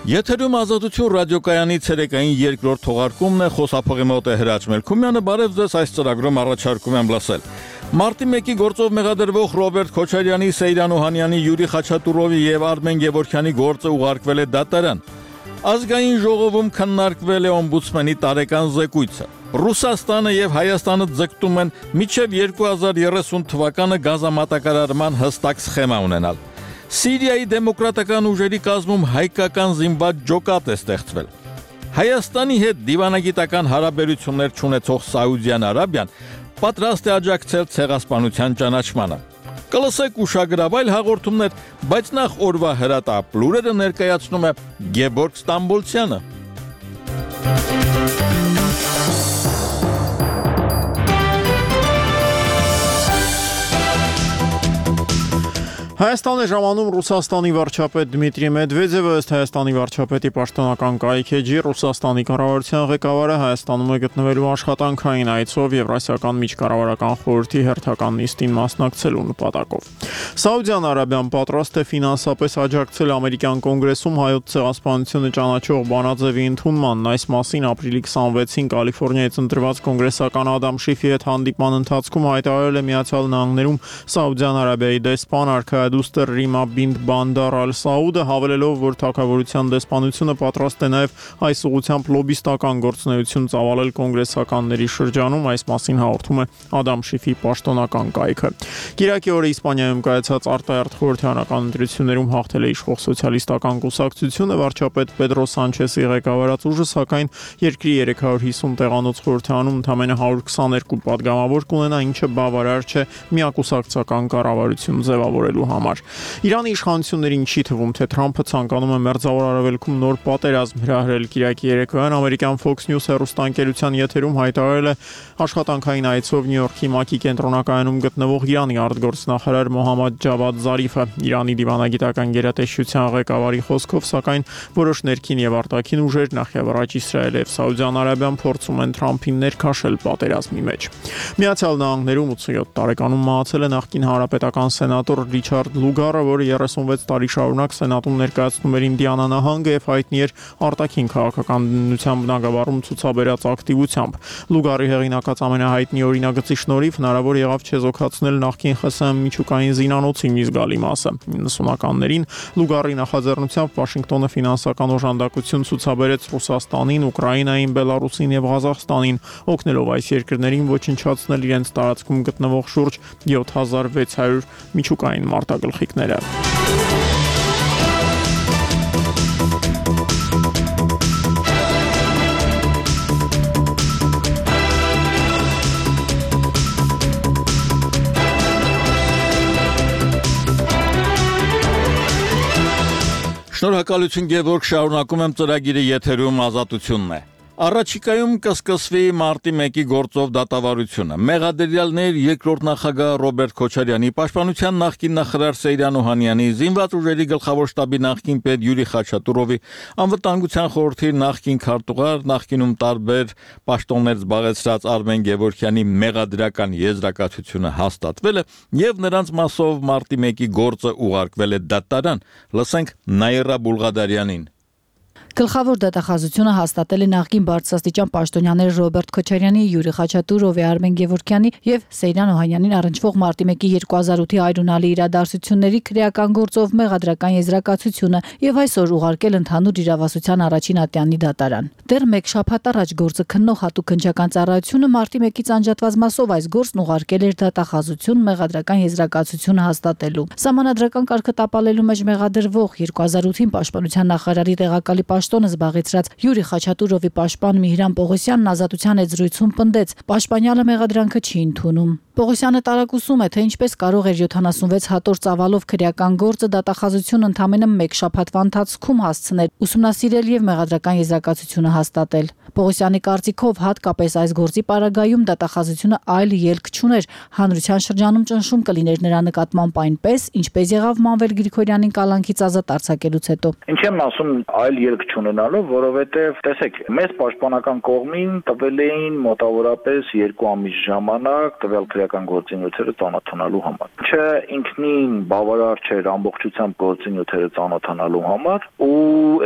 Եթերում Ազատություն ռադիոկայանի ցերեկային երկրորդ թողարկումն է, խոսափողի մոտ է Հրաչ Մելքումյանը, բարև ձեզ, այս ծրագրում առաջարկում եմ լսել։ Մարտի 1-ի գործով մեղադրվող Ռոբերտ Քոչարյանի, Սեյրան Օհանյանի, Յուրի Խաչատուրովի եւ Արմեն Գևորգյանի գործը ուղարկվել է դատարան։ Ազգային ժողովում քննարկվել է օմբուդսմենի տարեկան զեկույցը։ Ռուսաստանը եւ Հայաստանը ձգտում են մինչեւ 2030 թվականը գազամատակարարման հստակ սխեմա ունենալ։ Սիրիայի դեմոկրատական ուժերի կազմում հայկական զինված ջոկատ է ստեղծվել։ Հայաստանի հետ դիվանագիտական հարաբերություններ չունեցող Սաուդյան Արաբիան պատրաստ է աջակցել ցեղասպանության ճանաչմանը։ Կլսեք ուշագրավ այլ հաղորդումներ, բայց նախ օրվա հրատապ լուրերը ներկայացնում է Գեբորգ Ստամբոլցյանը։ Հայաստան է ժամանում Ռուսաստանի վարչապետ Դմիտրի Մեդվեդևը, ըստ Հայաստանի վարչապետի պաշտոնական կայքեջի, Ռուսաստանի կառավարության ղեկավարը Հայաստանում է գտնվելու աշխատանքային այցով Եվրասիական միջկառավարական խորհրդի հերթական նիստին մասնակցելու նպատակով։ Սաուդյան Արաբիան պատրաստ է ֆինանսապես աջակցել ամերիկյան կոնգրեսում հայոց ցեղասպանությունը ճանաչող բանաձևի ընդունմանն։ Այս մասին ապրիլի 26-ին Կալիֆոռնիայից ընտրված կոնգրեսական Ադամ Շիֆի հետ հանդիպման ընթացքում հայտարարել է Միացյալ Նահանգներում Սաուդյան Արաբիայի դեսպան Դուստեր Ռիմա բինտ Բանդար Ալ-Սաուդը, հավելելով, որ թագավորության դեսպանությունը պատրաստ է նաև այս ուղղությամբ լոբիստական գործունեություն ծավալել կոնգրեսականների շրջանում, այս մասին հաղորդում է Ադամ Շիֆի պաշտոնական կայքը։ Կիրակի օրը Իսպանիայում կայացած արտահերթ խորհրդարանական ընտրություններում հաղթել է իշխող սոցիալիստական կուսակցությունը, վարչապետ Պեդրո Սանչեսի ղեկավարած ուժը, սակայն երկրի 350 տեղանոց խորհրդարանում ընդամենը 122 պատգամավոր կունենա, ինչը բավարար չէ միակուսակցական կառավարություն ձևավորելու համար։ Իրանի իշխանություններին չի թվում, թե Թրամփը ցանկանում է Մերձավոր Արևելքում նոր պատերազմ հրահրել։ Կիրակի երեկոյան ամերիկյան Fox News հեռուստաընկերության եթերում հայտարարել է աշխատանքային այցով Նյու Յորքի ՄԱԿ-ի կենտրոնակայանում գտնվող Իրանի արտգործնախարար Մոհամմադ Ջավադ Զարիֆը։ Իրանի դիվանագիտական գերատեսչության ղեկավարի խոսքով, սակայն որոշ ներքին եւ արտաքին ուժեր, նախևառաջ Իսրայելը եւ Սաուդյան Արաբիան փորձում են Թրամփին ներքաշել պատերազմի մեջ։ Միացյալ Նահանգներում 87 տարեկանում մահացել է նախկին հանրապետական սենատոր Ռիչարդ Լուգարը, որը 36 տարի շարունակ սենատում ներկայացնում էր Ինդիանա նահանգը եւ հայտնի էր արտաքին քաղաքականության բնագավառում ցուցաբերած ակտիվությամբ։ Լուգարի հեղինակած ամենահայտնի օրինագծի շնորհիվ հնարավոր եղավ չեզոքացնել նախկին ԽՍՀՄ միջուկային զինանոցի մի զգալի մասը։ 90-ականներին Լուգարի նախաձեռնությամբ Վաշինգտոնը ֆինանսական օժանդակություն ցուցաբերեց Ռուսաստանին, Ուկրաինային, Բելարուսին եւ Ղազախստանին, օգնելով այս երկրներին ոչնչացնել իրենց տարածքում գտնվող շուրջ 7600 միջուկային մարտագլխիկները։ Շնորհակալություն Գևորգ, շարունակում եմ ծրագիրը, եթերում Ազատությունն է։ Առաջիկայում կսկսվի մարտի 1-ի գործով դատավարությունը։ Մեղադրյալներ երկրորդ նախագահ Ռոբերտ Քոչարյանի, պաշտպանության նախկին նախարար Սեյրան Օհանյանի, զինված ուժերի գլխավոր շտաբի նախկին պետ Յուրի Խաչատուրովի, անվտանգության խորհրդի նախկին քարտուղար, նախկինում տարբեր պաշտոններ զբաղեցրած Արմեն Գևորգյանի մեղադրական եզրակացությունը հաստատվել է եւ նրանց մասով մարտի 1-ի գործը ուղարկվել է դատարան։ Լսենք Նաիրա Բուլղադարյանին։ Գլխավոր դատախազությունը հաստատել է նախկին բարձրաստիճան պաշտոնյաներ Ռոբերտ Քոչարյանի, Յուրի Խաչատուրովի, Արմեն Գևորգյանի եւ Սեյրան Օհանյանին առնչվող մարտի 1-ի 2008-ի այրունալի իրադարձությունների քրեական գործով մեղադրական եզրակացությունը եւ այսօր ուղարկել ընդհանուր իրավասության առաջին ատյանի դատարան։ Դեռ մեկ շաբաթ առաջ գործը քննող հատուկ քննչական ծառայությունը մարտի 1-ից անջատված մասով այս գործն ուղարկել էր դատախազություն մեղադրական եզրակացությունը հաստատելու։ Սահմանադրական կարգը տապալելու մեջ մեղադրվող 2008-ին պաշտպանության նախարարի տեղակալի պաշտոնը զբաղեցրած Յուրի Խաչատուրովի պաշտպան Միհրան Պողոսյանն Ազատության հետ զրույցում պնդեց. պաշտպանյալը մեղադրանքը չի ընդունում։ Պողոսյանը տարակուսում է, թե ինչպես կարող էր 76 հատոր ծավալով քրեական գործը դատախազություն ընդամենը մեկ շաբաթվա ընթացքում հասցնել, ուսումնասիրել եւ մեղադրական եզրակացությունը հաստատել։ Պողոսյանի կարծիքով հատկապես այս գործի պարագայում դատախազությունը այլ ելք չուներ, հանրության շրջանում ճնշում կլիներ նրա նկատմամբ այնպես, ինչպես եղավ Մանվել Գրիգորյանին կալանքից ազատ արձակելուց հետո։ Ինչ եմ ասում այլ ելք չունենալով, որովհետեւ տեսեք, մեզ պաշտպանական կողմին տվել էին մոտավորապես 2 ամիս ժամանակ տվյալ քաղաքական գործունեությանը ծանոթանալու համար։ Չէ, ինքնին բավարար չէր ամբողջությամբ գործունեությանը ծանոթանալու համար, ու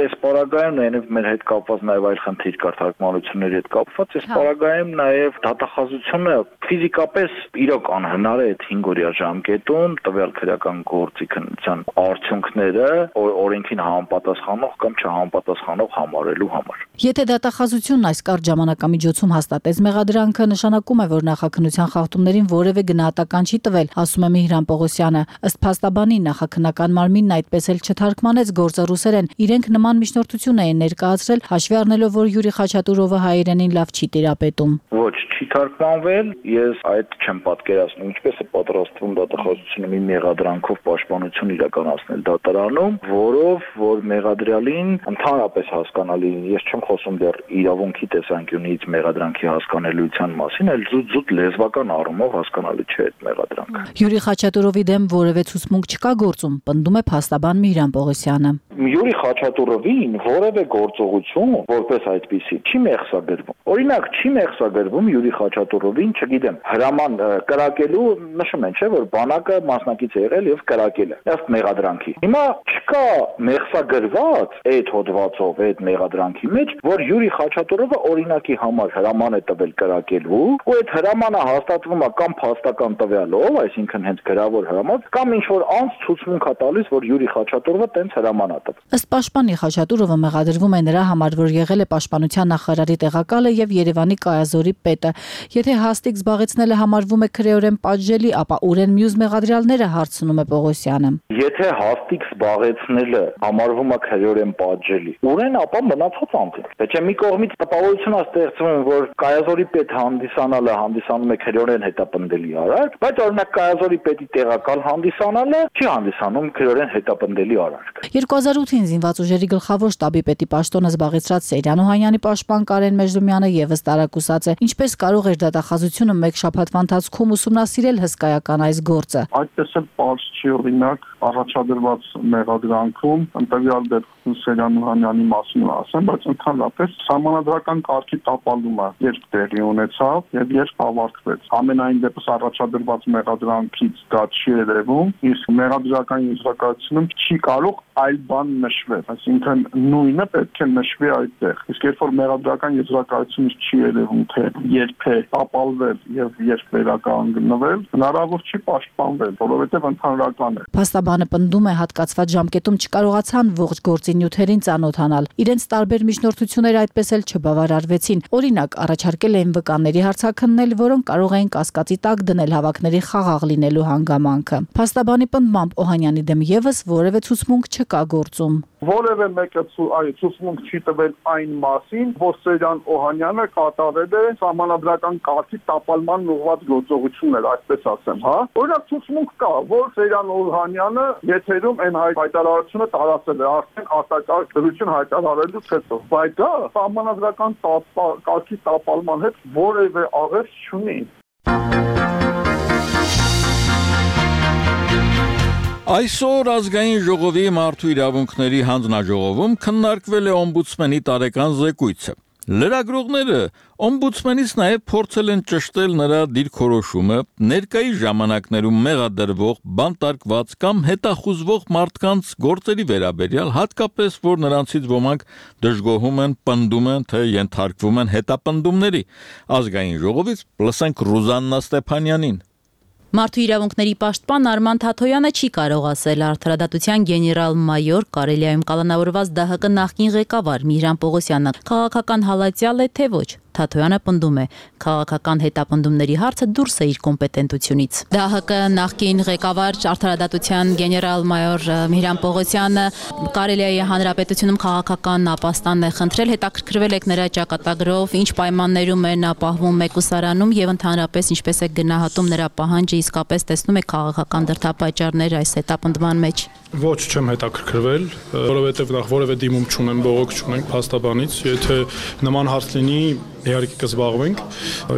այս պարագայում նաև մեր հետ կապված նաև այլ խնդիր կար թարգմանությունների հետ կապված, այս պարագայում նաև դատախազությունը ֆիզիկապես իրոք անհնար է այդ 5-օրյա ժամկետում տվյալ քրեական գործի քննության արդյունքները օրենքին համապատասխանող կամ չհամապատասխանող համարելու համար։ Եթե դատախազությունն այս կարճ ժամանակամիջոցում հաստատեց մեղադրանքը, նշանակում է, որ նախաքննության խախտումներին որևէ գնահատական չի տվել, ասում է Միհրան Պողոսյանը։ Ըստ փաստաբանի, նախաքննական մարմինն այդպես էլ չթարգմանեց գործը ռուսերեն։ Իրենք նման միջնորդություն էին ներկայացրել, հաշվի առնելով, որ Յուրի Խաչատուրովը հայերենին լավ չի տիրապետում։ Ոչ, չի թարգմանվել, ես այդ չեմ պատկերացնում, ինչպես է պատրաստվում դատախազությունը մի մեղադրանքով պաշտպանություն իրականացնել դատարանում, որով որ մեղադրյալին ընդհանրապես հասկանալի, ես չեմ խոսում դեռ իրավունքի տեսանկյունից մեղադրանքի հասկանալիության մասին, այլ զուտ լեզվական առումով հասկանալի չէ այդ մեղադրանքը։ Յուրի Խաչատուրովի դեմ որևէ ցուցմունք չկա գործում, պնդում է փաստաբան Միհրան Պողոսյանը։ Յուրի Խաչատուրովին որևէ գործողություն որպես այդպիսի չի մեղսագրվում։ Օրինակ, չի մեղսագրվում Յուրի Խաչատուրովին, չգիտեմ, հրաման կրակելու, նշում են, չէ, որ բանակը մասնակից է եղել եւ կրակել է ըստ մեղադրանքի։ Հիմա չկա մեղսագրված այդ հոդվածով, այդ մեղադրանքի մեջ, որ Յուրի Խաչատուրովը օրինակի համար հրաման է տվել կրակելու, ու այդ հրամանը հաստատվում է կամ փաստական տվյալով, այսինքն հենց գրավոր հրաման, կամ ինչ որ անց ցուցմունք է տալիս, որ Յուրի Խաչատուրովը տենց հրաման է տվել։ Ըստ պաշտպանի Խաչատուրովը մեղադրվում է նրա համար, որ եղել է պաշտպանության նախարարի տեղակալը եւ Երևանի կայազորի պետը։ Եթե հաստիկ զբաղեցնելը համարվում է քրեորեն պատժելի, ապա ուրեն մյուս մեղադրյալները, հարցնում է Պողոսյանը։ Եթե հաստիկ զբաղեցնելը համարվում է քրեորեն պատժելի, ուրեն ապա մնացած անձին։ Պետք է մի կողմից տպավորություն է ստեղծվում, որ կայազորի պետ հանդիսանալը հանդիսանում է քրեորեն հետապնդելի արարք, բայց օրինակ կայազորի պետի տեղակալ հանդիսանալը չի հանդիսանում քրեորեն հետապնդելի արարք։ 2008-ին զինված ուժերի գլխավոր շտաբի պետի պաշտոնը զբաղեցրած Սեյրան Օհանյանի պաշտպան Կարեն Մեժլումյանը եւս տարակուսած է։ Ինչպես կարող էր դատախազությունը մեկ շաբաթվա ընթացքում ուսումնասիրել հսկայական այս գործը։ Այդպես էլ պարզ չի, օրինակ առաջադրված մեղադրանքում ընտրյալ դեպքում Սեյրան Օհանյանի մասին ասեմ, բայց ընդհանրապես սահմանադրական կարգի տապալումը երբ տեղի ունեցավ եւ երբ ավարտվեց։ Ամենայն դեպս առաջադրված մեղադրանքից դա չի երևում, իսկ մեղադրական եզրակացությունում չի կարող այլ բան նշվել, այսինքն նույնը պետք է նշվի այդտեղ։ Իսկ երբ որ մեղադրական եզրակացությունից չի երևում, թե երբ է տապալվել եւ երբ վերականգնվել, հնարավոր չի պաշտպանվել, որովհետեւ ընդհանրական է։ Փաստաբանը պնդում է, հատկացված ժամկետում չկարողացան ողջ գործի նյութերին ծանոթանալ։ Իրենց տարբեր միջնորդությունները այդպես էլ չբավարարվեցին։ Օրինակ, առաջարկել էին վկաների հարցաքննել, որոնք կարող էին կասկածի տակ դնել հավաքների խաղաղ լինելու հանգամանքը։ Փաստաբանի պնդմամբ Օհանյանի դեմ եւս որևէ ցուցմունք չկա գործում։ Որևէ մեկը ցուցմունք չի տվել այն մասին, որ Սեյրան Օհանյանը կատարել է սահմանադրական կարգի տապալման ուղղված գործողություններ, այսպես ասեմ, հա։ Օրինակ ցուցմունք կա, որ Սեյրան Օհանյանը եթերում այն հայտարարությունը տարածել է արդեն արտակարգ դրություն հայտարարելուց հետո, բայց դա սահմանադրական կարգի տապալման հետ որևէ աղերս չունի։ Այսօր ազգային ժողովի մարդու իրավունքների հանձնաժողովում քննարկվել է օմբուդսմենի տարեկան զեկույցը։ Լրագրողները օմբուդսմենից նաև փորձել են ճշտել նրա դիրքորոշումը ներկայիս ժամանակներում մեղադրվող, բանտարկված կամ հետախուզվող մարդկանց գործերի վերաբերյալ, հատկապես որ նրանցից ոմանք դժգոհում են, պնդում են, թե ենթարկվում են հետապնդումների։ Ազգային ժողովից լսենք Ռուզաննա Ստեփանյանին։ Մարդու իրավունքների պաշտպան Արման Թաթոյանը չի կարող ասել արդարադատության գեներալ-մայոր Կարելիայում կալանավորված ԴՀԿ նախկին ղեկավար Միհրան Պողոսյանը քաղաքական հալածյալ է, թե ոչ։ Թաթոյանը պնդում է, քաղաքական հետապնդումների հարցը դուրս է իր կոմպետենտությունից։ ԴՀԿ նախկին ղեկավար արդարադատության գեներալ-մայոր Միհրան Պողոսյանը Կարելիայի հանրապետությունում քաղաքական ապաստան է խնդրել, հետաքրքրվել եք նրա ճակատագրով, ինչ պայմաններում են ապահովում մեկուսարանում եւ ընդհանրապես ինչպես է գնահատում նրա պահանջը, իսկապես տեսնում եք քաղաքական դրդապատճառներ այս հետապնդման մեջ։ Ոչ, չեմ հետաքրքրվել, որովհետև նախ որևէ դիմում չունեմ, բողոք չունենք փաստաբանից, եթե նման հարց լինի, իհարկե կզբաղվենք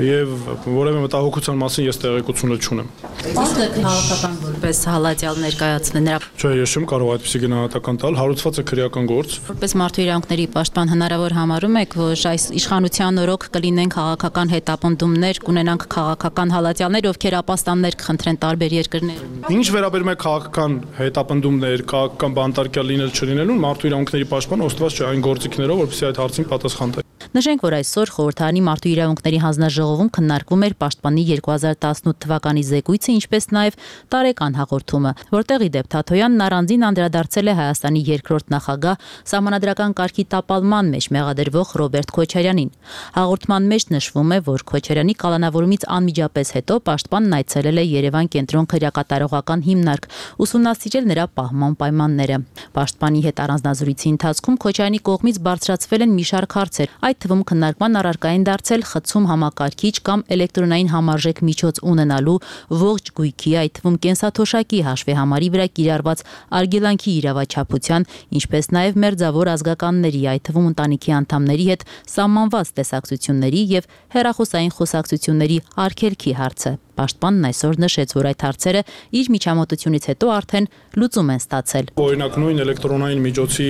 եւ որևէ մտահոգության մասին ես տեղեկություն չունեմ։ Ո՞նց է քաղաքական ինչպես հալածյալ ներկայացնել նրա։ Չէ, ես չեմ կարող այդպիսի գնահատական տալ, հարուցված է քրեական գործ։ Որպես մարդու իրավունքների պաշտպան հնարավոր համարում եք, որ այս իշխանության օրոք կլինեն քաղաքական հետապնդումներ, կունենանք քաղաքական հալածյալներ, ովքեր ապաստաններ կխնդրեն տարբեր երկրներում։ Ինչ վերաբերում է քաղաքական հետապնդումներ, քաղաքական բանտարկյալ լինել չլինելուն, մարդու իրավունքների պաշտպան օժտված չէ այն գործիքներով, որպեսզի այդ հարցին պատասխան տա։ Նշենք, որ այսօր Խորհրդարանի մարդու իրավունքների հանձնաժողովում քննարկվում էր պաշտպանի 2018 թվականի զեկույցը, ինչպես նաև տարեկան հաղորդումը, որտեղ ի դեպ Թաթոյանն առանձին անդրադարձել է Հայաստանի երկրորդ նախագահ սահմանադրական կարգի տապալման մեջ մեղադրվող Ռոբերտ Քոչարյանին։ Հաղորդման մեջ նշվում է, որ Քոչարյանի կալանավորումից անմիջապես հետո պաշտպանն այցելել է Երևան կենտրոն քրեակատարողական հիմնարկ, ուսումնասիրել նրա պահման պայմանները։ Պաշտպանի հետ առանձնազրույցի ընթացքում Քոչարյանի կողմից բարձրացվել են մի շարք հարցեր, այդ թվում քննարկման առարկային դարձել խցում համակարգիչ կամ էլեկտրոնային համարժեք միջոց ունենալու ողջ գույքի, այդ թվում կենսաթոշակի հաշվի համարի վրա կիրառված արգելանքի իրավաչափության, ինչպես նաև մերձավոր ազգականների, այդ թվում ընտանիքի անդամների հետ սահմանված տեսակցությունների եւ հեռախոսային խոսակցությունների արգելքի հարցը։ Պաշտպանն այսօր նշեց, որ այդ հարցերը իր միջամտությունից հետո արդեն լուծում են ստացել։ Օրինակ նույն էլեկտրոնային միջոցի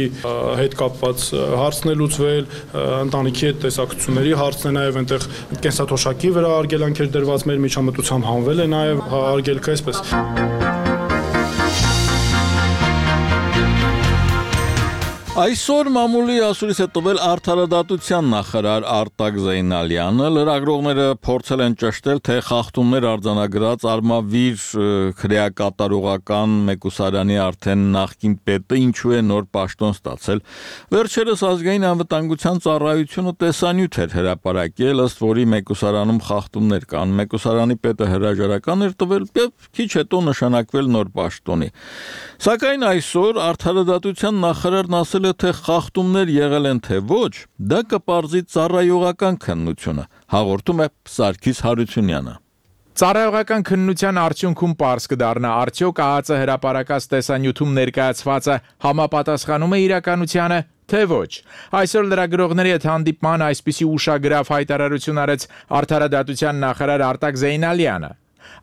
հետ կապված հարցն է լուծվել, ընտանիքի հետ տեսակցությունների հարցն է, նաև այնտեղ կենսաթոշակի վրա արգելանքեր դրված մեր միջամտությամբ հանվել է նաև արգելքը այսպես։ Այսօր մամուլի ասուրից է տվել արդարադատության նախարար Արտակ Զեյնալյանը, լրագրողները փորձել են ճշտել, թե խախտումներ արձանագրած Արմավիր քրեակատարողական մեկուսարանի արդեն նախկին պետը ինչու է նոր պաշտոն ստացել։ Վերջերս ազգային անվտանգության ծառայությունը տեսանյութ էր հրապարակել, ըստ որի մեկուսարանում խախտումներ կան։ Մեկուսարանի պետը հրաժարական էր տվել եւ քիչ հետո նշանակվել նոր պաշտոնի։ Սակայն այսօր արդարադատության նախարարն ասել թե խախտումներ եղել են թե ոչ, դա կպարզի ծառայողական քննությունը, հաղորդում է Սարգիս Հարությունյանը։ Ծառայողական քննության արդյունքում պարզ կդառնա, արդյոք ԱԱԾ հրապարակած տեսանյութում ներկայացվածը համապատասխանում է իրականությանը, թե ոչ։ Այսօր լրագրողների հետ հանդիպման այսպիսի ուշագրավ հայտարարություն արեց արդարադատության նախարար Արտակ Զեյնալյանը։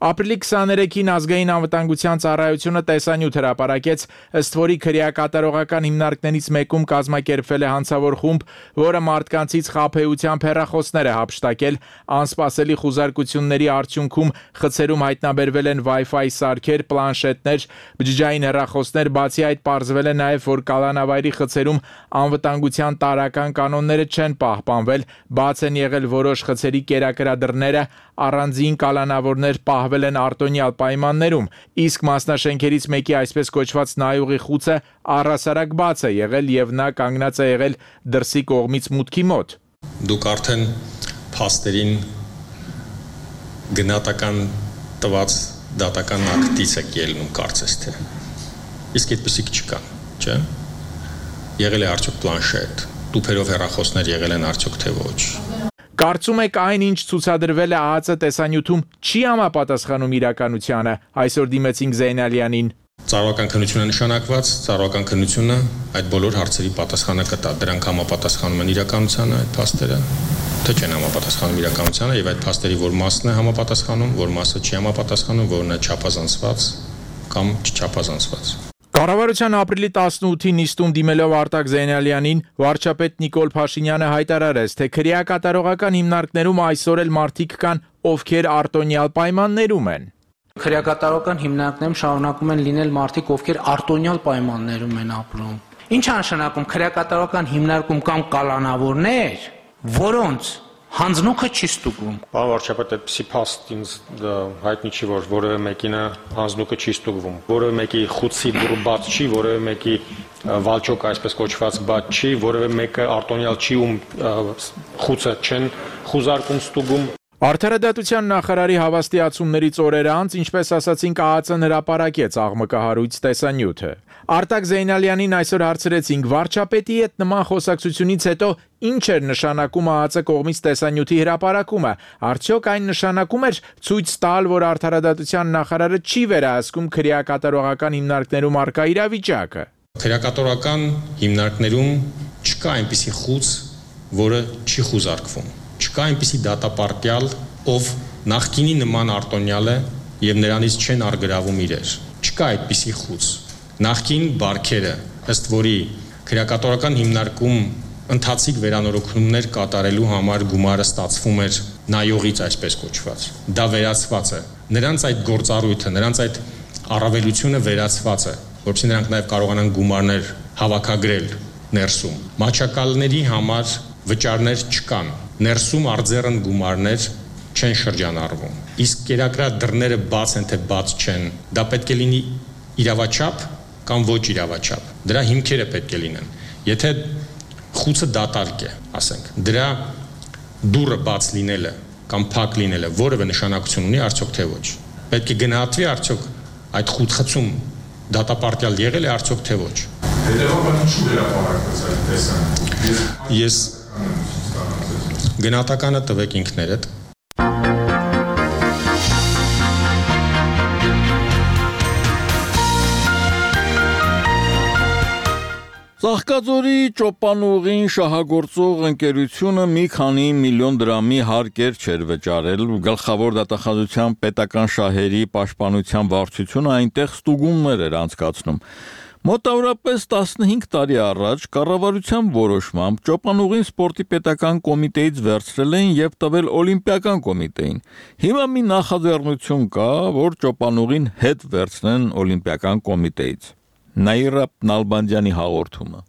Ապրիլի 23-ին ազգային անվտանգության ծառայությունը տեսանյութ հրապարակեց, ըստ որի քրեակատարողական հիմնարկներից մեկում կազմակերպվել է հանցավոր խումբ, որը մարդկանցից խաբեությամբ հեռախոսներ է հափշտակել, անսպասելի խուզարկությունների արդյունքում խցերում հայտնաբերվել են Wi-Fi սարքեր, պլանշետներ, բջջային հեռախոսներ, բացի այդ պարզվել է նաև, որ կալանավայրի խցերում անվտանգության տարրական կանոնները չեն պահպանվել, բաց են եղել որոշ խցերի կերակրադրները, առանձին կալանավորներ պահվել են արտոնյալ պայմաններում, իսկ մասնաշենքերից մեկի այսպես կոչված նայողի խուցը առհասարակ բաց է եղել եւ նա կանգնած է եղել դրսի կողմից մուտքի մոտ։ Դուք արդեն փաստերին գնահատական տված դատական ակտից եք ելնում կարծես թե։ Իսկ այդպեսիք չկան, չէ՞։ Եղել է արդյոք պլանշետ, տուփերով հեռախոսներ եղել են արդյոք թե ոչ։ Կարծում եք այն, ինչ ցուցադրվել է ԱԱԾ տեսանյութում, չի համապատասխանում իրականությանը, այսօր դիմեցինք Զեյնալյանին։ Ծառայողական քննությունը նշանակված, ծառայողական քննությունը այդ բոլոր հարցերի պատասխանը կտա, դրանք համապատասխանում են իրականությանը այդ փաստերը, թե չեն համապատասխանում իրականությանը եւ այդ փաստերի որ մասն է համապատասխանում, որ մասը չի համապատասխանում, որն է չափազանցված կամ չչափազանցված։ Կառավարության ապրիլի 18-ին նիստում դիմելով Արտակ Զեյնալյանին, վարչապետ Նիկոլ Փաշինյանը հայտարարեց, թե քրեակատարողական հիմնարկներում այսօր էլ մարդիկ կան, ովքեր արտոնյալ պայմաններում են։ Քրեակատարողական հիմնարկներում շարունակում են լինել մարդիկ, ովքեր արտոնյալ պայմաններում են ապրում։ Ինչ է նշանակում քրեակատարողական հիմնարկում կամ կալանավորներ, որոնց հանձնուկը չի ստուգվում։ Պարոն վարչապետ, այդպիսի փաստ ինձ հայտնի չի, որ որևէ մեկին հանձնուկը չի ստուգվում։ Որևէ մեկի խուցի դուռը բաց չի, որևէ մեկի վալճոկը այսպես կոչված բաց չի, որևէ մեկը արտոնյալ չի, ում խուցը չեն խուզարկում ստուգում։ Արդարադատության նախարարի հավաստիացումներից օրեր անց, ինչպես ասացինք, ԱԱԾ-ն հրապարակեց աղմկահարույց տեսանյութը։ Արտակ Զեյնալյանին այսօր հարցրեցինք, վարչապետի հետ նման խոսակցությունից հետո ինչ էր նշանակում ԱԱԾ կողմից տեսանյութի հրապարակումը։ Արդյոք այն նշանակում էր ցույց տալ, որ արդարադատության նախարարը չի վերահսկում քրեակատարողական հիմնարկներում առկա իրավիճակը։ Քրեակատարողական հիմնարկներում չկա այնպիսի խուծ, որը չի խուզարկվում։ Չկա այնպիսի դատապարտյալ, ով նախկինի նման արտոնյալ է եւ նրանից չեն արգրավում իրեր։ չկա այդպիսի խուց։ Նախկին բարքերը, ըստ որի քրեակատորական հիմնարկում ընթացիկ վերանորոգումներ կատարելու համար գումարը ստացվում էր նայողից, այսպես կոչված։ Դա վերացված է։ Նրանց այդ գործառույթը, նրանց այդ առավելությունը վերացված է, որովհետեւ նրանք նաև կարողանան գումարներ հավաքագրել ներսում։ Մաչակալների համար վճարներ չկան։ Ներսում արձեռն գումարներ չեն շրջանառվում։ Իսկ կերակրա դռները բաց են թե բաց չեն, դա պետք է լինի իրավաչափ կամ ոչ իրավաչափ։ Դրա հիմքերը պետք է լինեն։ Եթե խուցը դատարկ է, ասենք, դրա դուռը բաց լինելը կամ փակ լինելը որևէ նշանակություն ունի, արդյոք թե ոչ։ Պետք է գնահատվի արդյոք այդ խուցում դատապարտյալ եղել է արդյոք թե ոչ։ Հետևաբար ինչու վերապարակվեց այդ տեսանկյունից։ Ես գնահատականը տվեք ինքներդ։ Ծաղկաձորի ճոպանուղին շահագործող ընկերությունը մի քանի միլիոն դրամի հարկեր չէր վճարել, գլխավոր դատախազության պետական շահերի պաշտպանության վարչությունը այնտեղ ստուգումներ էր անցկացնում։ Մոտավորապես 15 տարի առաջ կառավարության որոշմամբ ճոպանուղին սպորտի պետական կոմիտեից վերցրել էին եւ տվել օլիմպիական կոմիտեին։ Հիմա մի նախաձեռնություն կա, որ ճոպանուղին հետ վերցնեն օլիմպիական կոմիտեից։ Նաիրա Նալբանդյանի հաղորդումը։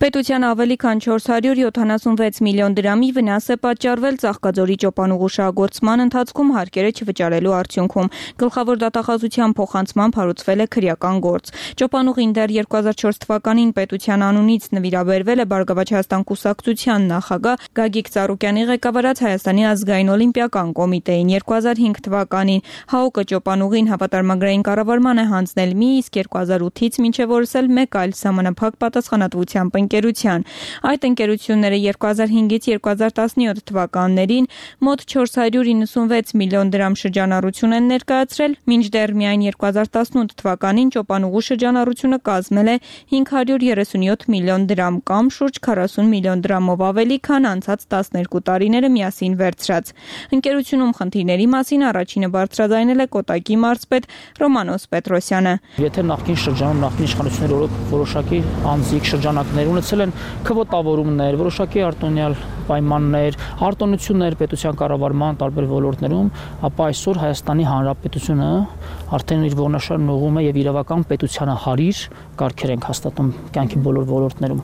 Պետության ավելի քան 476 միլիոն դրամի վնաս է պատճառվել Ծաղկաձորի ճոպանուղու շահագործման ընթացքում հարկերը չվճարելու արդյունքում։ Գլխավոր դատախազության փոխանցմամբ հարուցվել է քրեական գործ։ Ճոպանուղին դեռ 2004 թվականին պետության անունից նվիրաբերվել է Բարգավաճ Հայաստան կուսակցության նախագահ Գագիկ Ծառուկյանի ղեկավարած Հայաստանի ազգային օլիմպիական կոմիտեին։ 2005 թվականին ՀԱՕԿ-ը ճոպանուղին հավատարմագրային կառավարման է հանձնել մի, իսկ 2008-ից մինչև օրս էլ մեկ այլ սահմանափակ պատասխանատվությամբ ընկերության։ Այդ ընկերությունները 2005-ից 2017 թվականներին մոտ 496 միլիոն դրամ շրջանառություն են ներկայացրել, մինչդեռ միայն 2018 թվականին ճոպանուղու շրջանառությունը կազմել է 537 միլիոն դրամ կամ շուրջ 40 միլիոն դրամով ավելի, քան անցած 12 տարիները միասին վերցրած։ Ընկերությունում խնդիրների մասին առաջինը բարձրաձայնել է Կոտայքի մարզպետ Ռոմանոս Պետրոսյանը։ Եթե նախկին շրջանում նախկին իշխանությունները որոշակի անձիկ շրջանակներ ունեցել են քվոտավորումներ, որոշակի արտոնյալ պայմաններ, արտոնություններ պետության կառավարման տարբեր ոլորտներում, ապա այսօր Հայաստանի Հանրապետությունը արդեն իր ողնաշարն ուղղում է եւ իրավական պետությանը հարիր կարգեր ենք հաստատում կյանքի բոլոր ոլորտներում։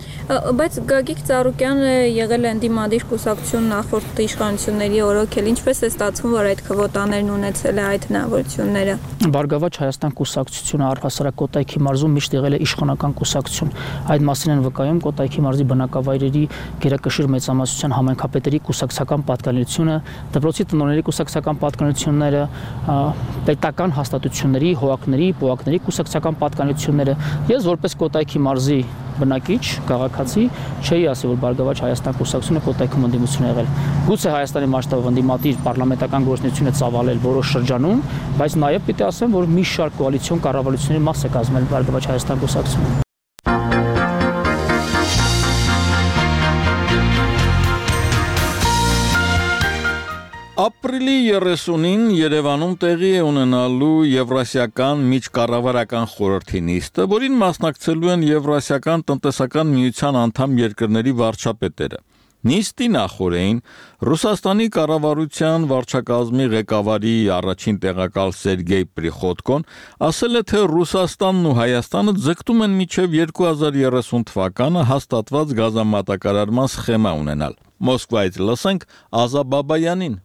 Բայց Գագիկ Ծառուկյանը եղել է ընդդիմադիր կուսակցություն նախորդ իշխանությունների օրոքել, ինչպես է ստացվում, որ այդ քվոտաներն ունեցել է այդ հնարավորությունները։ Բարգավաճ Հայաստան կուսակցությունը առհասարակ Կոտայքի մարզում միշտ եղել է իշխանական կուսակցություն։ Այդ մասին են վկայում Կոտայքի մարզի բնակավայրերի գերակշիռ մեծամասնության համայնքապետերի կուսակցական պատկանելիությունը, դպրոցի տնօրենների կուսակցական պատկանելիությունները, պետական հաստատությունների, հողակների, պոակների կուսակցական պատկանելիությունները։ Ես որպես Կոտայքի մարզի բնակիչ, քաղաքացի, չէի ասի, որ Բարգավաճ Հայաստան կուսակցությունը Կոտայքում ընդդիմություն է եղել։ Գուցե Հայաստանի մասշտաբով ընդդիմադիր պարլամենտական գործունեություն է ծավալել որոշ շրջանում, բայց նաև պիտի ասեմ, որ մի շարք կոալիցիոն կառավարությունների մաս է կազմել Բարգավաճ Հայաստան կուսակցությունը։ Ապրիլի 30-ին Երևանում տեղի է ունենալու Եվրասիական միջկառավարական խորհրդի նիստը, որին մասնակցելու են Եվրասիական տնտեսական միության անդամ երկրների վարչապետերը։ Նիստի նախօրեին Ռուսաստանի կառավարության վարչակազմի ղեկավարի առաջին տեղակալ Սերգեյ Պրիխոտկոն ասել է, թե Ռուսաստանն ու Հայաստանը ձգտում են մինչև 2030 թվականը հաստատված գազամատակարարման սխեմա ունենալ։ Մոսկվայից լսենք Ազա Բաբայանին։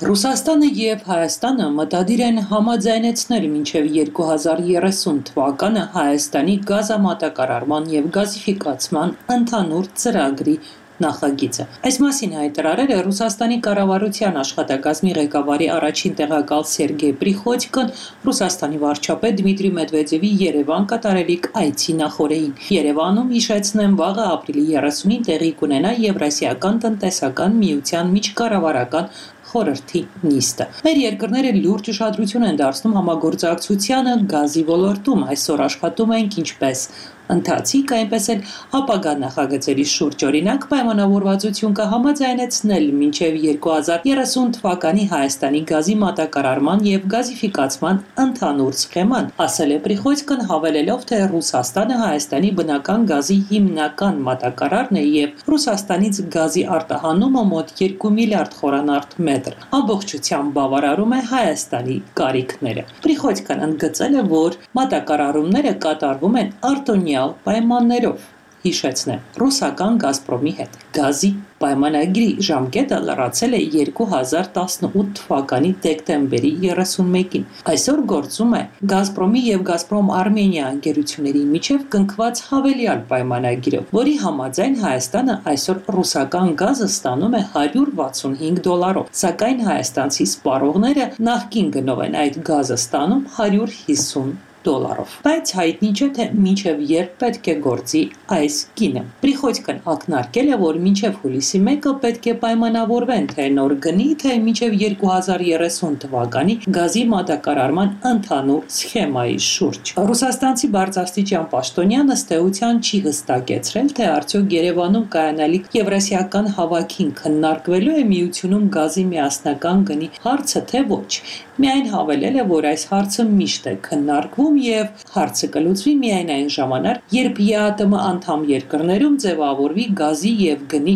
Ռուսաստանը եւ Հայաստանը մտադիր են համաձայնեցնել մինչև 2030 թվականը Հայաստանի գազամատակարարման եւ գազիֆիկացման ընդհանուր ծրագրի նախագիծը։ Այս մասին հայտարարել է Ռուսաստանի կառավարության աշխատակազմի ղեկավարի առաջին տեղակալ Սերգեյ Պրիխոտկոն Ռուսաստանի վարչապետ Դմիտրի Մեդվեդևի Երևան կատարելիք այցի նախօրեին։ Երևանում հիշեցնեմ վաղը ապրիլի 30-ին տեղի կունենա Եվրասիական տնտեսական միության միջկառավարական խորհրդի նիստը։ Մեր երկրները լուրջ ուշադրություն են դարձնում համագործակցությանը գազի ոլորտում, այսօր աշխատում ենք ինչպես ընթացիկ, այնպես էլ ապագա նախագծերի շուրջ, օրինակ պայմանավորվածություն կհամաձայնեցնել մինչև 2030 թվականի Հայաստանի գազի մատակարարման եւ գազիֆիկացման ընդհանուր սխեման, ասել է Պրիխոյցկան, հավելելով, թե Ռուսաստանը Հայաստանի բնական գազի հիմնական մատակարարն է եւ Ռուսաստանից գազի արտահանումը մոտ 2 միլիարդ խորանարդ մետր ամբողջությամբ բավարարում է Հայաստանի կարիքները։ Պրիխոյցկան ընդգծել է, որ մատակարարումները կատարվում են արտոնյալ պայմաններով, հիշեցնեմ, ռուսական Գազպրոմի հետ գազի պայմանագրի ժամկետը լրացել է 2018 թվականի դեկտեմբերի 31-ին։ Այսօր գործում է Գազպրոմի եւ Գազպրոմ Արմենիա ընկերությունների միջև կնքված հավելյալ պայմանագիրը, որի համաձայն Հայաստանը այսօր ռուսական գազը ստանում է $165, սակայն հայաստանցի սպառողները նախկին գնով են այդ գազը ստանում $150։ Բայց հայտնի չէ, թե մինչև երբ պետք է գործի այս գինը։ Պրիխոյցկան ակնարկել է, որ մինչև հուլիսի 1-ը պետք է պայմանավորվեն, թե նոր գնի, թե մինչև 2030 թվականի գազի մատակարարման ընդհանուր սխեմայի շուրջ։ Ռուսաստանցի բարձրաստիճան պաշտոնյանը ըստ էության չի հստակեցրել, թե արդյոք Երևանում կայանալիք Եվրասիական հավաքին քննարկվելու է միությունում գազի միասնական գնի հարցը, թե ոչ։ Միայն հավելել է, որ այս հարցը միշտ է քննարկվում եւ հարցը կլուծվի միայն այն ժամանակ, երբ ԵԱՏՄ անդամ երկրներում ձևավորվի գազի եւ գնի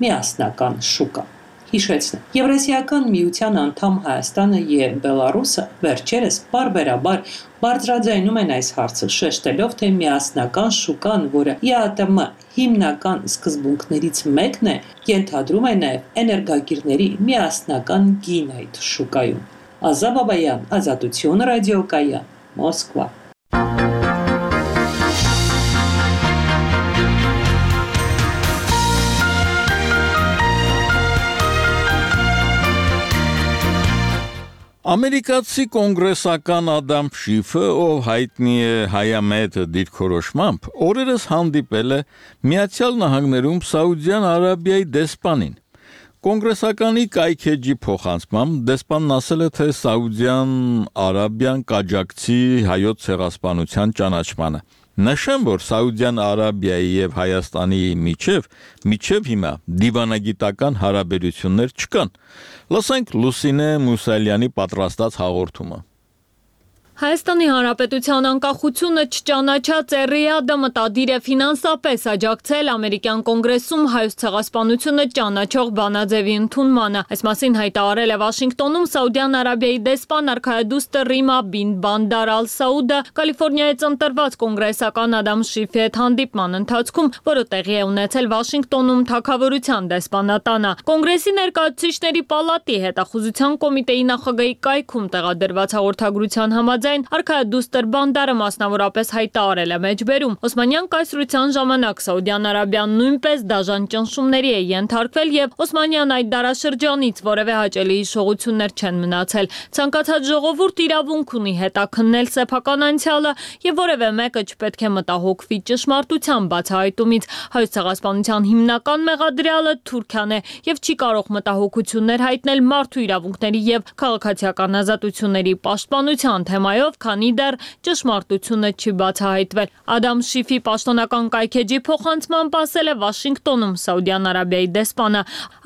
միասնական շուկա։ Հիշեցնեմ, Եվրասիական միության անդամ Հայաստանը եւ Բելարուսը վերջերս բարբերաբար բարձրաձայնում են այս հարցը, շեշտելով, թե միասնական շուկան, որը ԵԱՏՄ հիմնական սկզբունքներից մեկն է, ենթադրում է նաեւ էներգակիրների միասնական գին այդ շուկայում։ Ազա Բաբայան, Ազատություն ռադիոկայան, Մոսկվա։ Ամերիկացի կոնգրեսական Ադամ Շիֆը, ով հայտնի է հայամետ դիրքորոշմամբ, օրերս հանդիպել է Միացյալ Նահանգներում Սաուդյան Արաբիայի դեսպանին։ Կոնգրեսականի կայքեջի փոխանցմամբ դեսպանն ասել է, թե Սաուդյան Արաբիան կաջակցի հայոց ցեղասպանության ճանաչմանը։ Նշեմ, որ Սաուդյան Արաբիայի եւ Հայաստանի միջև հիմա դիվանագիտական հարաբերություններ չկան։ Լսենք Լուսինե Մուսալյանի պատրաստած հաղորդումը։ Հայաստանի Հանրապետության անկախությունը չճանաչած Ռիադը մտադիր է ֆինանսապես աջակցել ամերիկյան կոնգրեսում հայոց ցեղասպանությունը ճանաչող բանաձևի ընդունմանը։ Այս մասին հայտարարել է Վաշինգտոնում Սաուդյան Արաբիայի դեսպան արքայադուստը Ռիմա բին Բանդար ալ-Սաուդը Կալիֆոռնիայից ընտրված կոնգրեսական Ադամ Շիֆի հետ հանդիպման ընթացքում, որը տեղի է ունեցել Վաշինգտոնում Թագավորության դեսպանատանը։ Կոնգրեսի ներկայացուցիչների պալատի հետախուզության կոմիտեի նախագահի կայքում տեղադրված հաղորդագրության համաձայն արքայադուստր Բանդարը մասնավորապես հայտարարել է մեջբերում. Օսմանյան կայսրության ժամանակ Սաուդյան Արաբիան նույնպես դաժան ճնշումների է ենթարկվել եւ Օսմանյան այդ դարաշրջանից որևէ հաճելի հիշողություններ չեն մնացել։ Ցանկացած ժողովուրդ իրավունք ունի հետաքննել սեփական անցյալը եւ որևէ մեկը չպետք է մտահոգվի ճշմարտության բացահայտումից։ Հայոց ցեղասպանության հիմնական մեղադրյալը Թուրքիան է եւ չի կարող մտահոգություններ հայտնել մարդու իրավունքների եւ քաղաքացիական ազատությունների պաշտպանության թեմայով, քանի դեռ ճշմարտությունը չի բացահայտվել։ Ադամ Շիֆի պաշտոնական կայքեջի փոխանցմամբ ասել է Վաշինգտոնում Սաուդյան Արաբիայի դեսպանը։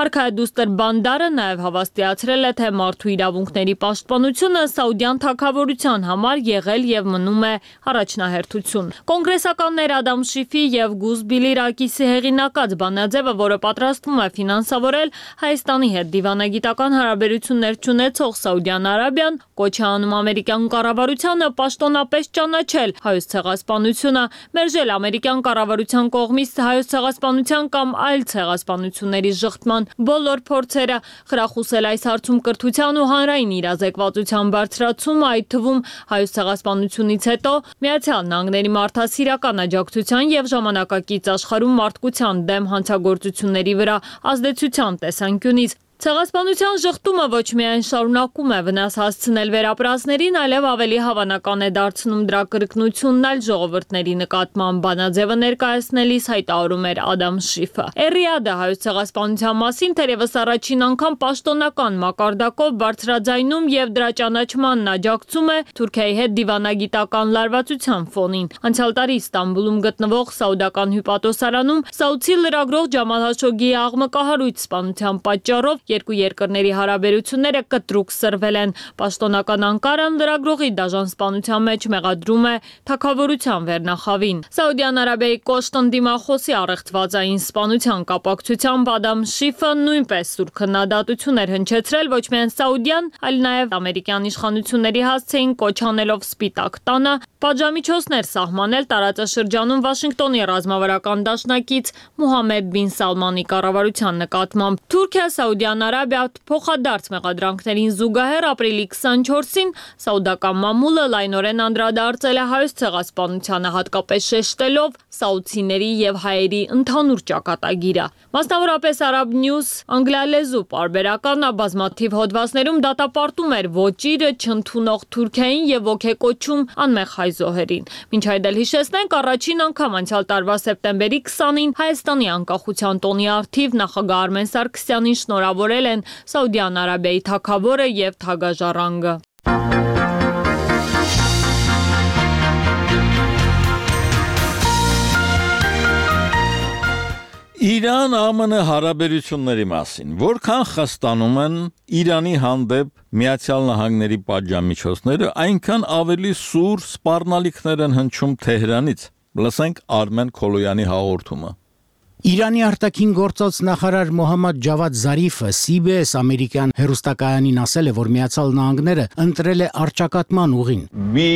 Արքայադուստր Բանդարը նաև հավաստիացրել է, թե մարդու իրավունքների պաշտպանությունը Սաուդյան թագավորության համար եղել եւ մնում է առաջնահերթություն։ Կոնգրեսականներ Ադամ Շիֆի եւ Գուզբիլի Ռակիսի հեղինակած բանաձևը, որը պատրաստվում է ֆինանսավորել Հայաստանի հետ դիվանագիտական հարաբերություններ չունեցող Սաուդյան Արաբիան, կոչ է անում ամերիկյան կառավարությանը պաշտոնապես ճանաչել հայոց ցեղասպանությունը, մերժել ամերիկյան կառավարության կողմից հայոց ցեղասպանության կամ այլ ցեղասպանությունների ժխտման բոլոր փորձերը, խրախուսել այս հարցում կրթության ու հանրային իրազեկվածության բարձրացումը, այդ թվում հայոց ցեղասպանությունից հետո Միացյալ Նահանգների մարդասիրական աջակցության եւ ժամանակակից աշխարհում մարդկության դեմ հանցագործությունների վրա ազդեցության տեսանկյունից։ Ցեղասպանության շղթումը ոչ միայն շարունակում է վնաս հասցնել վերապրածներին, այլև ավելի հավանական է դարձնում դրա կրկնությունն այլ ժողովուրդների նկատմամբ, բանաձևը ներկայացնելիս հայտարարում էր Ադամ Շիֆը։ Էրիադը հայոց ցեղասպանության մասին թերևս առաջին անգամ պաշտոնական մակարդակով բարձրաձայնում եւ դրա ճանաչմանն աջակցում է Թուրքիայի հետ դիվանագիտական լարվածության ֆոնին։ Անցյալ տարի Ստամբուլում գտնվող Սաուդական հյուպատոսարանում Սաուդի լրագրող Ջամալ Հաշոգիի աղմկահարույց սպանության պատճառով երկու երկրների հարաբերությունները կտրուկ սրվել են։ Պաշտոնական Անկարան լրագրողի դաժան սպանության մեջ մեղադրում է թագավորության վերնախավին։ Սաուդյան Արաբիայի կոշտ ընդդիմախոսի առեղծվածային սպանության կապակցությամբ Ադամ Շիֆը նույնպես սուր քննադատություն էր հնչեցրել ոչ միայն Սաուդյան, այլ նաև ամերիկյան իշխանությունների հասցեին կոչ անելով Սպիտակ տանը պատժամիջոցներ սահմանել տարածաշրջանում Վաշինգտոնի ռազմավարական դաշնակից Մուհամմեդ բին Սալմանի կառավարության նկատմամբ։ Թուրքիա, Սաուդյան Արաբիա փոխադարձ մեղադրանքներին զուգահեռ ապրիլի 24-ին սաուդական մամուլը լայնորեն անդրադարձել է հայոց ցեղասպանությանը, հատկապես շեշտելով սաուդցիների եւ հայերի ընդհանուր ճակատագիրը։ Մասնավորապես Arab News անգլիալեզու պարբերական բազմաթիվ հոդվածներում դատապարտում էր ոճիրը չընդունող Թուրքիային եւ ոգեկոչում անմեղ հայ զոհերին։ Մինչ այդ էլ հիշեցնենք, առաջին անգամ անցյալ տարվա սեպտեմբերի 20-ին Հայաստանի անկախության տոնի առթիվ նախագահ Արմեն Սարգսյանին շնորհավորել են Սաուդյան Արաբիայի թագավորը եւ թագաժառանգը։ Իրան-ԱՄՆ հարաբերությունների մասին որքան խստանում են Իրանի հանդեպ Միացյալ Նահանգների պատժամիջոցները, այնքան ավելի սուր սպառնալիքներ են հնչում Թեհրանից։ Լսենք Արմեն Քոլոյանի հաղորդումը։ Իրանի արտաքին գործոց նախարար Մոհամմադ Ջավադ Զարիֆը CBS ամերիկյան հեռուստակայանին ասել է, որ Միացյալ Նահանգները ընտրել է առճակատման ուղին։ We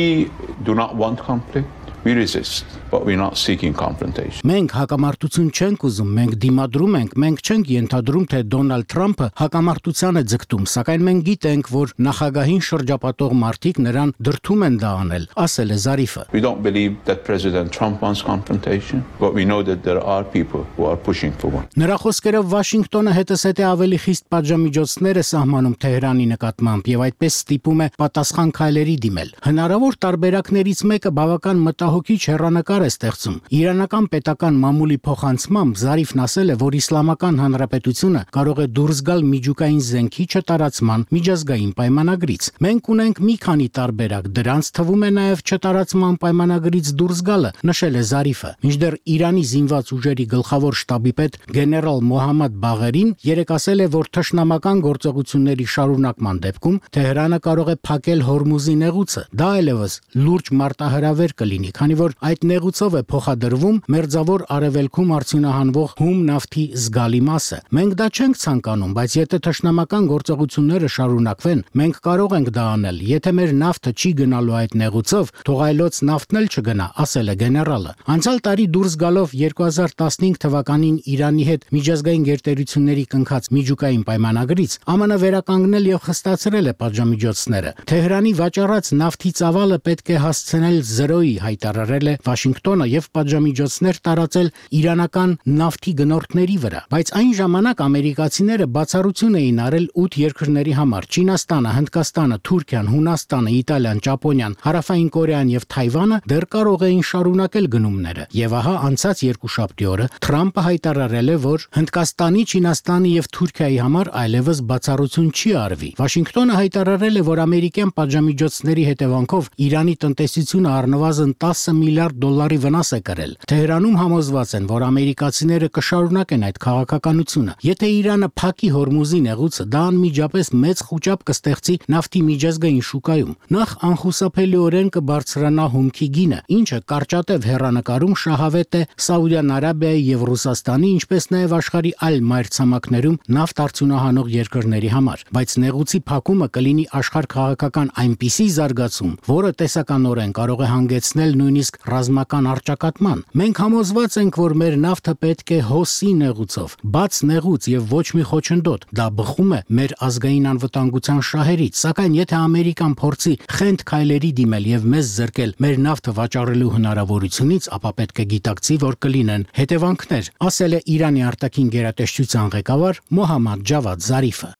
do not want conflict. We resist, but we're not seeking confrontation. Մենք հակամարտություն չենք ուզում, մենք դիմադրում ենք, մենք չենք ենթադրում, թե Դոնալդ Թրամփը հակամարտության է ձգտում, սակայն մենք գիտենք, որ նախագահին շրջապատող մարդիկ նրան դրդում են դա անել, ասել է Զարիֆը։ We don't believe that President Trump wants confrontation, but we know that there are people who are pushing for one. Նրա խոսքերով Վաշինգտոնը հետզհետե ավելի խիստ պատժամիջոցներ է սահմանում Թեհրանի նկատմամբ եւ այդպես ստիպում է պատասխան քայլերի դիմել։ Հնարավոր տարբերակներից մեկը բավական մտահոգիչ հեռանկար է ստեղծում։ Իրանական պետական մամուլի փոխանցմամբ Զարիֆն ասել է, որ Իսլամական Հանրապետությունը կարող է դուրս գալ միջուկային զենքի չտարածման միջազգային պայմանագրից։ Մենք ունենք մի քանի տարբերակ, դրանց թվում է նաև չտարածման պայմանագրից դուրս գալը, նշել է Զարիֆը։ Մինչդեռ Իրանի զինված ուժերի գլխավոր շտաբի պետ գեներալ Մոհամմադ Բաղերին երեկ ասել է, որ թշնամական գործողությունների շարունակման դեպքում Թեհրանը կարող է փակել Հորմուզի նեղուցը։ Դա այլևս լուրջ մարտահրավեր կլինի, քանի որ այդ նեղուցով է փոխադրվում մերձավոր արևելքում արդյունահանվող հում նավթի զգալի մասը։ Մենք դա չենք ցանկանում, բայց եթե թշնամական գործողությունները շարունակվեն, մենք կարող ենք դա անել։ Եթե մեր նավթը չի գնալու այդ նեղուցով, թող այլոց նավթն էլ չգնա, ասել է գեներալը։ Անցյալ տարի դուրս գալով 2015 թվականին Իրանի հետ միջազգային գերտերությունների կնքած միջուկային պայմանագրից ԱՄՆ վերականգնել եւ խստացրել է պատժամիջոցները։ Թեհրանի վաճառած նավթի ծավալը պետք է հասցնել 0-ի, հայտարարել է Վաշինգտոնը եւ պատժամիջոցներ տարածել իրանական նավթի գնորդների վրա, բայց այն ժամանակ ամերիկացիները բացառություն էին արել 8 երկրների համար՝ Չինաստանը, Հնդկաստանը, Թուրքիան, Հունաստանը, Իտալիան, Ճապոնիան, Հարավային Կորեան եւ Թայվանը դեռ կարող էին շարունակել գնումները։ Եվ ահա անցած երկուշաբթի օրը Թրամփը հայտարարել է, որ Հնդկաստանի, Չինաստանի եւ Թուրքիայի համար այլևս բացառություն չի արվի։ Վաշինգտոնը հայտարարել է, որ ամերիկյան պատժամիջոցների հետևանքով Իրանի տնտեսությունը առնվազն 10 միլիարդ դոլարի վնաս է կրել։ Թեհրանում համոզված են, որ ամերիկացիները կշարունակեն այդ քաղաքականությունը։ Եթե Իրանը փակի Հորմուզի նեղուցը, դա անմիջապես մեծ խուճապ կստեղծի նավթի միջազգային շուկայում։ Նախ անխուսափելիորեն կբարձրանա հումքի գինը, ինչը կարճատև հեռանկարում շահավետ է Սաուդյան Արաբիայի եւ Ռուսաստանի, ինչպես նաեւ աշխարհի այլ մայրցամաքներում նավթ արդյունահանող երկրների համար։ Բայց նեղուցի փակումը կլինի աշխարհ քաղաքական այնպիսի զարգացում, որը տեսականորեն կարող է հանգեցնել նույն նույնիսկ ռազմական առճակատման։ Մենք համոզված ենք, որ մեր նավթը պետք է հոսի նեղուցով, բաց նեղուց եւ ոչ մի խոչընդոտ։ Դա բխում է մեր ազգային անվտանգության շահերից, սակայն եթե Ամերիկան փորձի խենթ քայլերի դիմել եւ մեզ զրկել մեր նավթը վաճառելու հնարավորությունից, ապա պետք է գիտակցի, որ կլինեն հետևանքներ, ասել է Իրանի արտաքին գերատեսչության ղեկավար Մոհամմադ Ջավադ Զարիֆը։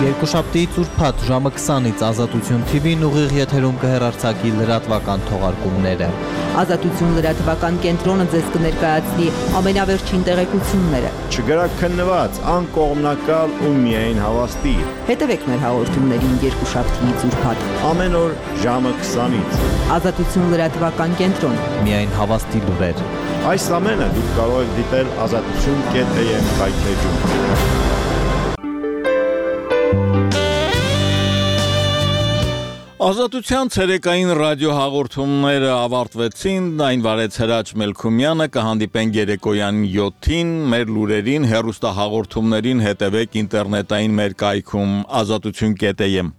Երկուշաբթիից ուրբաթ ժամը 20-ից Ազատություն TV-ն ուղիղ եթերում կհեռարձակի լրատվական թողարկումները։ Ազատություն լրատվական կենտրոնը ձեզ կներկայացնի ամենավերջին տեղեկությունները։ Չգրաքննված, անկողմնակալ ու միայն հավաստի։ Հետևեք մեր հաղորդումներին երկուշաբթիից ուրբաթ ամեն օր ժամը 20-ից։ Ազատություն լրատվական կենտրոն։ Միայն հավաստի լուրեր։ Այս ամենը դուք կարող եք դիտել azatutun.am կայքեջում։ Ազատության ցերեկային ռադիոհաղորդումները ավարտվեցին, այն վարեց Հրաչ Մելքումյանը, կհանդիպենք երեկոյան 7-ին, մեր լուրերին, հեռուստահաղորդումներին հետևեք ինտերնետային մեր կայքում azatutun.am